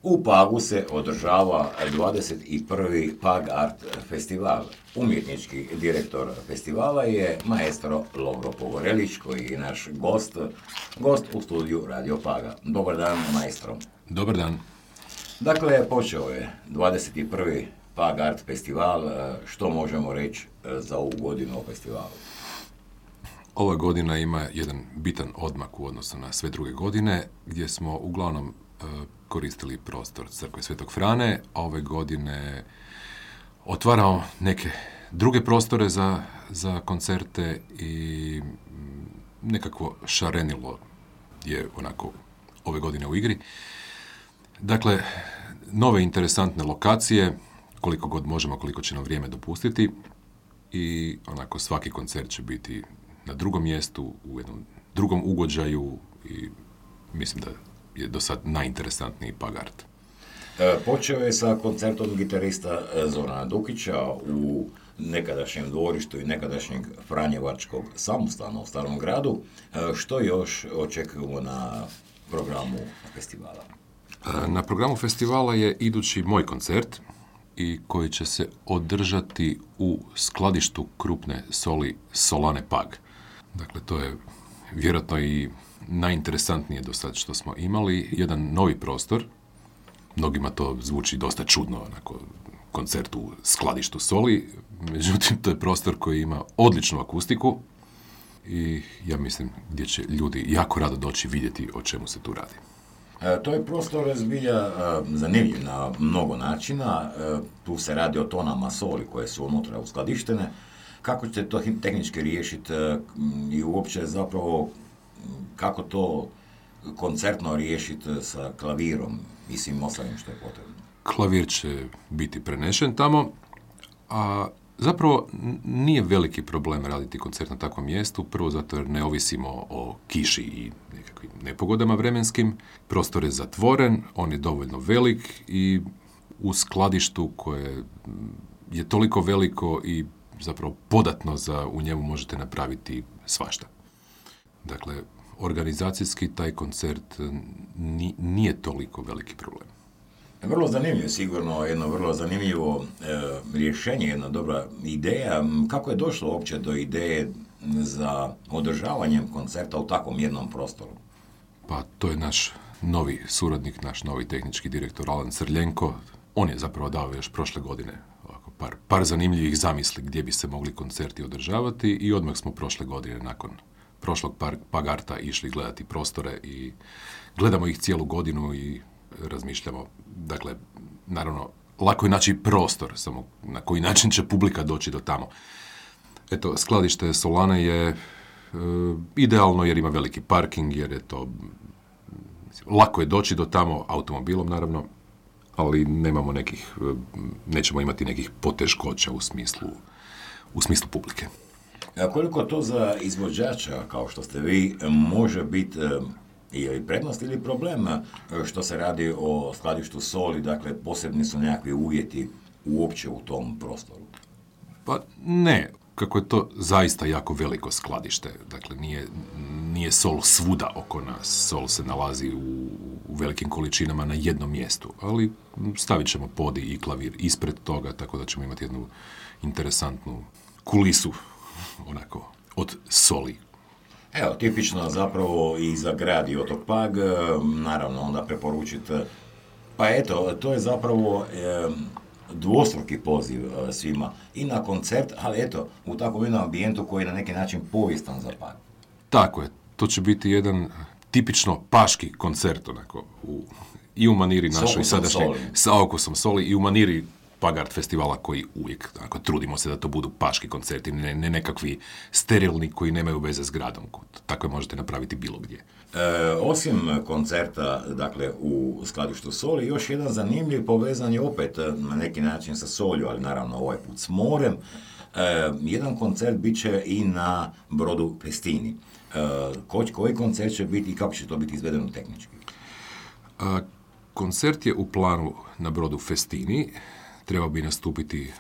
U Pagu se održava 21. Pag Art festival. Umjetnički direktor festivala je maestro Lovro Pogorelić, koji je naš gost u studiju Radio Paga. Dobar dan, maestro. Dobar dan. Dakle, počeo je 21. Pag Art festival. Što možemo reći za ovu godinu o festivalu? Ova godina ima jedan bitan odmak u odnosu na sve druge godine, gdje smo uglavnom koristili prostor Crkve Svetog Frane, a ove godine otvaramo neke druge prostore za koncerte i nekakvo šarenilo je onako ove godine u igri. Dakle, nove interesantne lokacije, koliko god možemo, koliko će nam vrijeme dopustiti, i onako svaki koncert će biti na drugom mjestu, u jednom drugom ugođaju, i mislim da je do sad najinteresantniji Pag Art. Počeo je sa koncertom gitarista Zorana Dukića u nekadašnjem dvorištu i nekadašnjeg Franjevačkog samostana u Starom gradu. Što još očekujemo na programu festivala? Na programu festivala je idući moj koncert, i koji će se održati u skladištu krupne soli Solane Pag. Dakle, to je vjerojatno i najinteresantnije do sad što smo imali, jedan novi prostor. Mnogima to zvuči dosta čudno, onako, koncert u skladištu soli, međutim, to je prostor koji ima odličnu akustiku i ja mislim gdje će ljudi jako rado doći vidjeti o čemu se tu radi. To je prostor zbilja zanimljiv na mnogo načina. Tu se radi o tonama soli koje su unutra uskladištene. Kako ćete to tehnički riješiti i uopće zapravo kako to koncertno riješiti sa klavirom i svim ostalim što je potrebno? Klavir će biti prenešen tamo, a zapravo nije veliki problem raditi koncert na takvom mjestu, prvo zato jer ne ovisimo o kiši i nekakvim nepogodama vremenskim. Prostor je zatvoren, on je dovoljno velik i u skladištu koje je toliko veliko i zapravo podatno za u njemu možete napraviti svašta. Dakle, organizacijski taj koncert nije toliko veliki problem. Vrlo zanimljivo, sigurno jedno vrlo zanimljivo rješenje, jedna dobra ideja. Kako je došlo uopće do ideje za održavanjem koncerta u takvom jednom prostoru? Pa to je naš novi suradnik, naš novi tehnički direktor Alan Crljenko. On je zapravo dao još prošle godine par zanimljivih zamisli gdje bi se mogli koncerti održavati i odmah smo prošle godine nakon prošlog Pag Arta išli gledati prostore i gledamo ih cijelu godinu i razmišljamo. Dakle, naravno, lako je naći prostor, samo na koji način će publika doći do tamo. Eto, skladište Solane je idealno jer ima veliki parking, jer je to lako je doći do tamo, automobilom naravno, ali nećemo imati nekih poteškoća u smislu publike. A koliko to za izvođača, kao što ste vi, može biti ili prednost ili problem što se radi o skladištu soli, dakle posebni su nekakvi uvjeti uopće u tom prostoru? Pa ne, kako je to zaista jako veliko skladište, dakle nije sol svuda oko nas, sol se nalazi u velikim količinama na jednom mjestu, ali stavit ćemo podi i klavir ispred toga, tako da ćemo imati jednu interesantnu kulisu onako od soli. Evo, tipično zapravo i za grad i otok Pag, naravno onda preporučiti. Pa eto, to je zapravo dvostruki poziv svima i na koncert, ali eto, u takvom jednom ambijentu koji je na neki način povijestan za Pag. Tako je, to će biti jedan tipično paški koncert, onako, i u maniri našoj sadašnje, sa okusom soli, i u maniri Pag Art festivala koji uvijek, dakle, trudimo se da to budu paški koncerti, ne nekakvi sterilni koji nemaju veze s gradom. Tako možete napraviti bilo gdje. Osim koncerta, dakle, u skladištu soli, još jedan zanimljiv povezan je opet na neki način sa solju, ali naravno ovaj put s morem. Jedan koncert bit će i na brodu Festini. Koji koncert će biti i kako će to biti izvedeno tehnički? Koncert je u planu na brodu Festini. Trebao bi nastupiti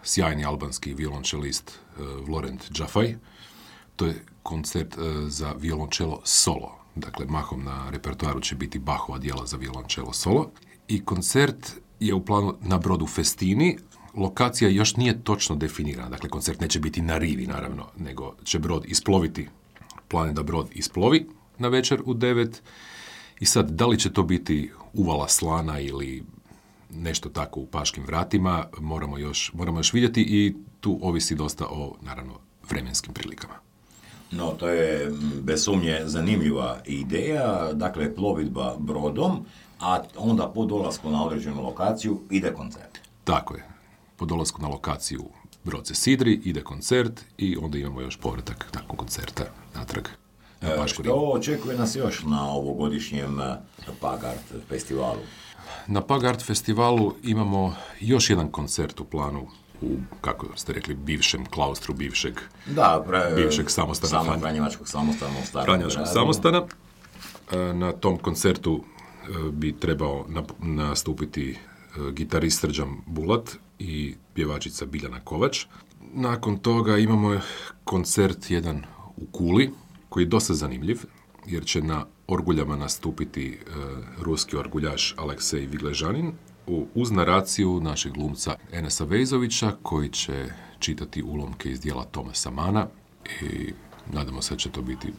sjajni albanski violončelist Vlorent Džafaj. To je koncert za violončelo solo. Dakle, mahom na repertoaru će biti Bachova djela za violončelo solo. i koncert je u planu na brodu Festini. Lokacija još nije točno definirana, dakle koncert neće biti na rivi naravno, nego će brod isploviti, plan je da brod isplovi na večer u 9 i sad da li će to biti uvala slana ili nešto tako u Paškim vratima, moramo još vidjeti i tu ovisi dosta o, naravno, vremenskim prilikama. No, to je bez sumnje zanimljiva ideja, dakle plovidba brodom, a onda po dolasku na određenu lokaciju ide koncert. Tako je. Po dolasku na lokaciju brod se sidri, ide koncert i onda imamo još povratak nakon koncerta natrag. Što očekuje nas još na ovogodišnjem Pag Art festivalu? Na Pag Art festivalu imamo još jedan koncert u planu u, kako ste rekli, bivšem klaustru, bivšeg samostana. Franjevačkog samostana u Starom Franjevačkog gradu. samostana. Na tom koncertu bi trebao nastupiti gitarist Srđan Bulat i pjevačica Biljana Kovač. Nakon toga imamo koncert jedan u Kuli, koji je dosta zanimljiv, jer će na orguljama nastupiti ruski orguljaš Aleksej Vigležanin uz naraciju našeg glumca Enesa Vejzovića, koji će čitati ulomke iz dijela Tomasa Mana i nadamo se da će to biti...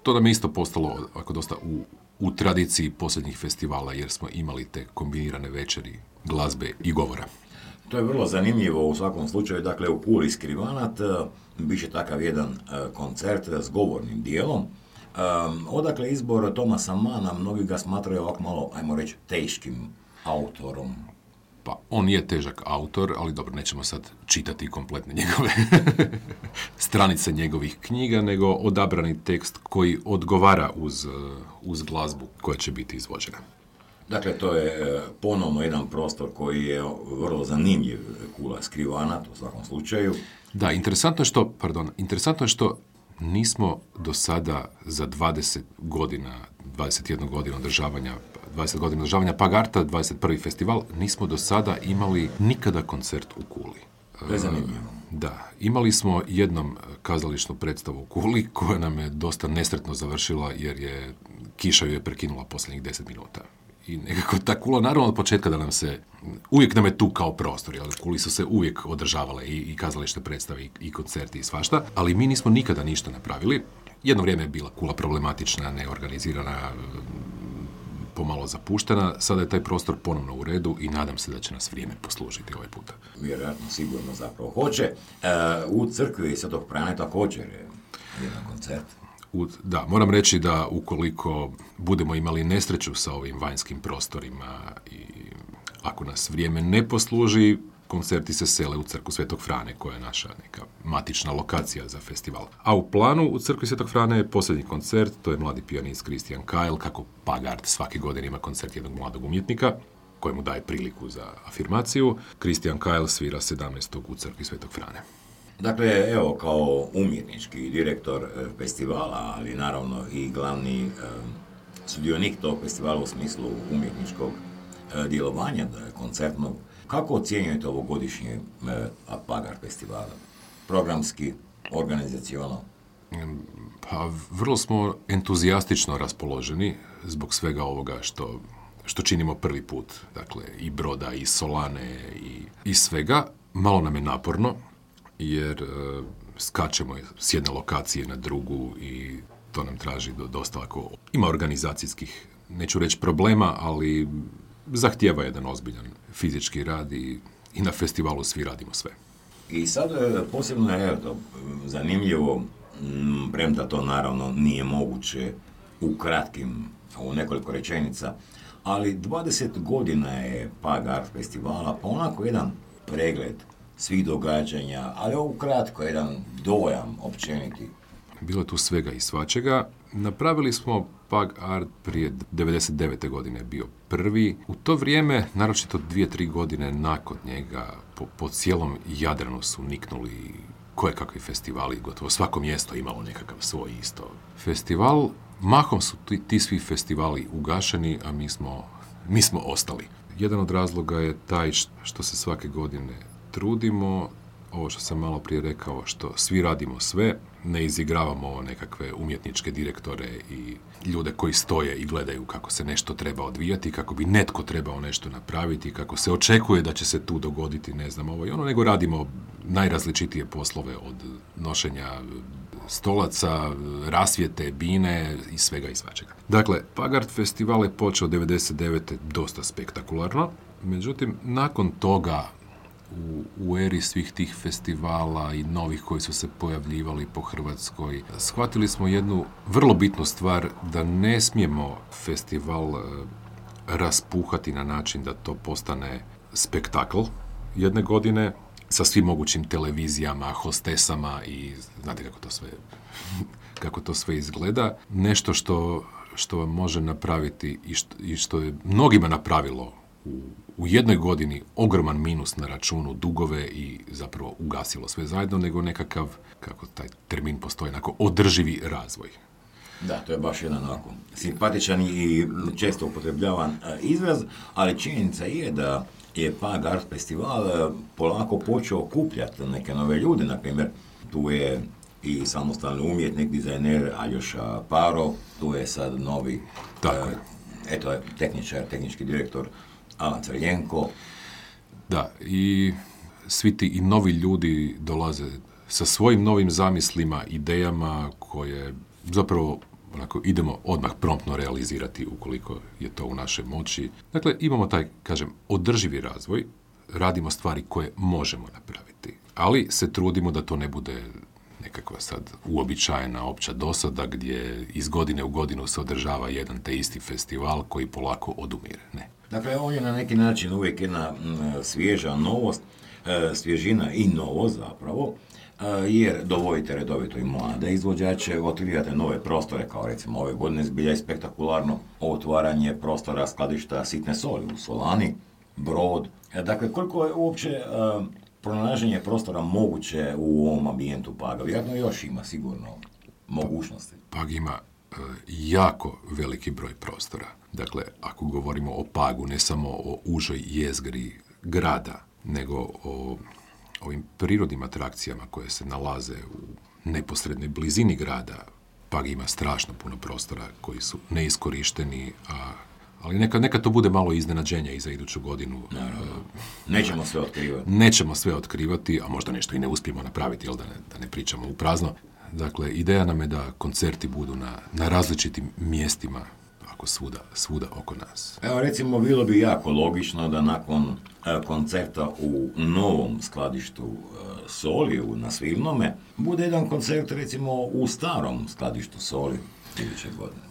To nam je isto postalo ako dosta u tradiciji posljednjih festivala, jer smo imali te kombinirane večeri glazbe i govora. To je vrlo zanimljivo u svakom slučaju. Dakle, u Puli Skrivanat bit će takav jedan koncert s govornim dijelom. Odakle izbor Tomasa Mana, mnogi ga smatraju ovako malo, ajmo reći, teškim autorom. Pa, on je težak autor, ali dobro, nećemo sad čitati kompletne njegove stranice njegovih knjiga, nego odabrani tekst koji odgovara uz glazbu koja će biti izvođena. Dakle, to je ponovno jedan prostor koji je vrlo zanimljiv, Kula Skrivanat u svakom slučaju. Da, interesantno je što nismo do sada za 20 godina, 21 godinu održavanja 20 godina održavanja Pag Arta, 21. festival, nismo do sada imali nikada koncert u Kuli. To je zanimljivo. Da, imali smo jednom kazališnu predstavu u Kuli koja nam je dosta nesretno završila jer je kiša ju je prekinula posljednjih 10 minuta. I nekako ta Kula, naravno od početka da uvijek nam je tu kao prostor, jer u Kuli su se uvijek održavale i kazališne predstave i koncerti i svašta, ali mi nismo nikada ništa napravili. Jedno vrijeme je bila Kula problematična, neorganizirana, pomalo zapuštena, sada je taj prostor ponovno u redu i nadam se da će nas vrijeme poslužiti ovaj puta. Vjerojatno, sigurno zapravo hoće. U crkvi Svetog Franje također je jedan koncert. Da, moram reći da ukoliko budemo imali nesreću sa ovim vanjskim prostorima i ako nas vrijeme ne posluži, koncerti se sele u crkvu Svetog Frane, koja je naša neka matična lokacija za festival. A u planu u crkvi Svetog Frane je posljednji koncert, to je mladi pijanist Christian Kyle, kako Pag Art svake godine ima koncert jednog mladog umjetnika, kojemu daje priliku za afirmaciju. Christian Kyle svira 17. u crkvi Svetog Frane. Dakle, evo, kao umjetnički direktor festivala, ali naravno i glavni sudionik tog festivala u smislu umjetničkog djelovanja, koncertnog, kako ocjenjujete ovogodišnje Pag Art festivala? Programski, organizacionalno? Pa, vrlo smo entuzijastično raspoloženi zbog svega ovoga što činimo prvi put. Dakle, i broda, i solane, i svega. Malo nam je naporno, jer skačemo s jedne lokacije na drugu i to nam traži dosta ovako. Ima organizacijskih, neću reći problema, ali zahtijeva jedan ozbiljan fizički rad i na festivalu svi radimo sve. I sad posebno je zanimljivo, premda to naravno nije moguće u nekoliko rečenica, ali 20 godina je Pag Art festivala, pa onako jedan pregled svih događanja, ali ovo kratko, jedan dojam općeniti. Bilo je tu svega i svačega. Napravili smo Pag Art prije 99. godine bio prvi. U to vrijeme, naročito 2-3 godine nakon njega, po cijelom Jadranu su niknuli kojekakvi festivali, gotovo svako mjesto imalo nekakav svoj isto festival. Mahom su ti svi festivali ugašeni, a mi smo ostali. Jedan od razloga je taj što se svake godine trudimo, ovo što sam malo prije rekao, što svi radimo sve, ne izigravamo nekakve umjetničke direktore i ljude koji stoje i gledaju kako se nešto treba odvijati, kako bi netko trebao nešto napraviti, kako se očekuje da će se tu dogoditi, ne znam, ovo i ono, nego radimo najrazličitije poslove od nošenja stolaca, rasvjete, bine i svega i svačega. Dakle, Pagart festival je počeo 99. dosta spektakularno, međutim, nakon toga u eri svih tih festivala i novih koji su se pojavljivali po Hrvatskoj, shvatili smo jednu vrlo bitnu stvar, da ne smijemo festival raspuhati na način da to postane spektakl jedne godine sa svim mogućim televizijama, hostesama i znate kako to sve izgleda. Nešto što vam može napraviti i što je mnogima napravilo u jednoj godini ogroman minus na računu, dugove i zapravo ugasilo sve zajedno, nego nekakav, kako taj termin postoji, onako održivi razvoj. Da, to je baš jedan onako simpatičan i često upotrebljavan izraz, ali činjenica je da je Pagart festival polako počeo okupljati neke nove ljude. Na primjer, tu je i samostalni umjetnik, dizajner Aljoša Paro, tu je sad novi tehnički direktor Alan Crljenko. Da, i svi ti i novi ljudi dolaze sa svojim novim zamislima, idejama koje zapravo onako idemo odmah promptno realizirati ukoliko je to u našoj moći. Dakle, imamo taj, kažem, održivi razvoj, radimo stvari koje možemo napraviti, ali se trudimo da to ne bude nekakva sad uobičajena opća dosada gdje iz godine u godinu se održava jedan te isti festival koji polako odumire. Ne. Dakle, on je na neki način uvijek jedna svježa novost, svježina i novost zapravo, jer dovodite redovito i mlade izvođače, otkrivate nove prostore, kao recimo ove godine zbilja je spektakularno otvaranje prostora skladišta sitne soli u Solani, Brod. Dakle, koliko je uopće pronalaženje prostora moguće u ovom ambijentu Paga? Vjerojatno još ima sigurno mogućnosti. Pag ima jako veliki broj prostora. Dakle, ako govorimo o Pagu, ne samo o užoj jezgri grada, nego o ovim prirodnim atrakcijama koje se nalaze u neposrednoj blizini grada, Pag ima strašno puno prostora koji su neiskorišteni, ali neka to bude malo iznenađenja i za iduću godinu. Nećemo sve otkrivati, a možda nešto i ne uspijemo napraviti, jel da ne pričamo u prazno. Dakle, ideja nam je da koncerti budu na različitim mjestima, ako svuda oko nas. Evo, recimo, bilo bi jako logično da nakon koncerta u novom skladištu soli na Svilnome bude jedan koncert, recimo, u starom skladištu soli iduće godine.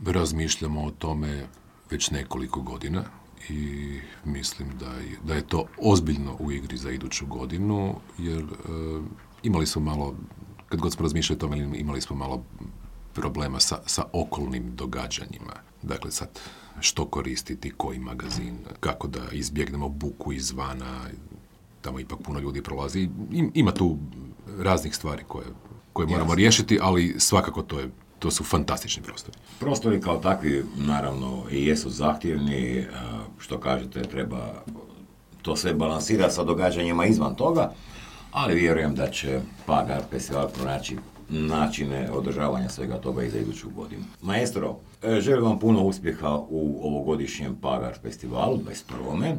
Razmišljamo o tome već nekoliko godina i mislim da je to ozbiljno u igri za iduću godinu, jer imali smo malo, kad god smo razmišljali o tome, imali smo malo problema sa okolnim događanjima. Dakle, sad, što koristiti, koji magazin, kako da izbjegnemo buku izvana, tamo ipak puno ljudi prolazi. Ima tu raznih stvari koje moramo riješiti, ali svakako to su fantastični prostori. Prostori kao takvi, naravno, i jesu zahtjevni, što kažete, treba to sve balansirati sa događanjima izvan toga, ali vjerujem da će Pagart festival pronaći načine održavanja svega toga i za iduću godinu. Maestro, želim vam puno uspjeha u ovogodišnjem Pagart festivalu, 21.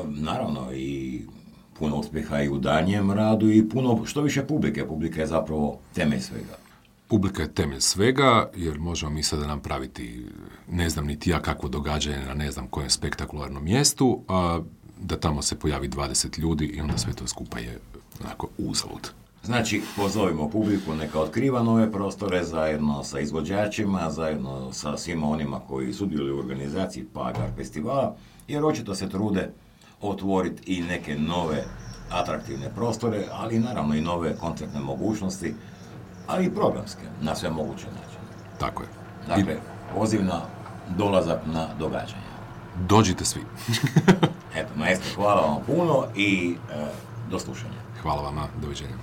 Naravno i puno uspjeha i u danjem radu i puno, što više publike. Publika je zapravo temelj svega. Publika je temelj svega, jer možemo mi sada napraviti, ne znam niti ja kakvo događanje na ne znam kojem spektakularnom mjestu, a da tamo se pojavi 20 ljudi i onda sve to skupa je onako uzalud. Znači, pozovimo publiku, neka otkriva nove prostore zajedno sa izvođačima, zajedno sa svima onima koji sudjeluju u organizaciji Pagart festivala, jer očito se trude otvoriti i neke nove atraktivne prostore, ali naravno i nove koncertne mogućnosti, ali i programske, na sve moguće načine. Tako je. Dakle, poziv na dolazak na događanja. Dođite svi. Eto, maestro, hvala vam puno i do slušanja. Hvala vama, doviđenja.